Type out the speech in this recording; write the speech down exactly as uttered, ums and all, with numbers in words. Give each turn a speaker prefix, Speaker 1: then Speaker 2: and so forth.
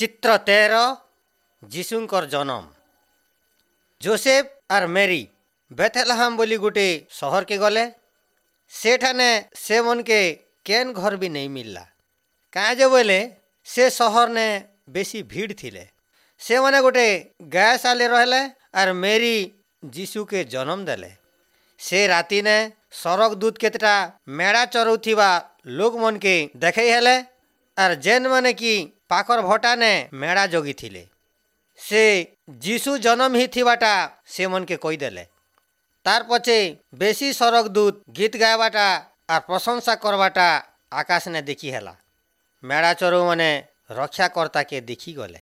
Speaker 1: ଚିତ୍ର ତେର ଯୀଶୁଙ୍କର ଜନମ ଜୋସେଫ ଆର୍ ମେରି ବେଥେଲହାମ ବୋଲି ଗୋଟେ ସହରକେ ଗଲେ ସେଠାନେ ସେମନକେ କେନ୍ ଘର ବି ନେଇ ମିଲଲା କାଁ ଯେ ବୋଇଲେ ସେ ସହରନେ ବେଶୀ ଭିଡ଼ ଥିଲେ ସେମାନେ ଗୋଟେ ଗାଏଶାଲେ ରହିଲେ ଆର୍ ମେରି ଯୀଶୁକେ ଜନମ ଦେଲେ ସେ ରାତିନେ ସରଗ ଦୂତ କେତେଟା ମେଢ଼ା ଚରଉଥିବା ଲୋକମନକେ ଦେଖେଇ ହେଲେ ଆର୍ ଯେନ୍ମାନେ କି ପାଖର ଭଟାନେ ମେଢ଼ା ଜଗିଥିଲେ ସେ ଯୀଶୁ ଜନମ ହେଇଥିବାଟା ସେମନକେ କହିଦେଲେ ତାର୍ ପଛେ ବେଶୀ ସରଗ ଦୂତ ଗୀତ ଗାଇବାଟା ଆର୍ ପ୍ରଶଂସା କରବାଟା ଆକାଶନେ ଦେଖି ହେଲା ମେଢ଼ା ଚରଉମାନେ ରକ୍ଷାକର୍ତ୍ତାକେ ଦେଖି ଗଲେ।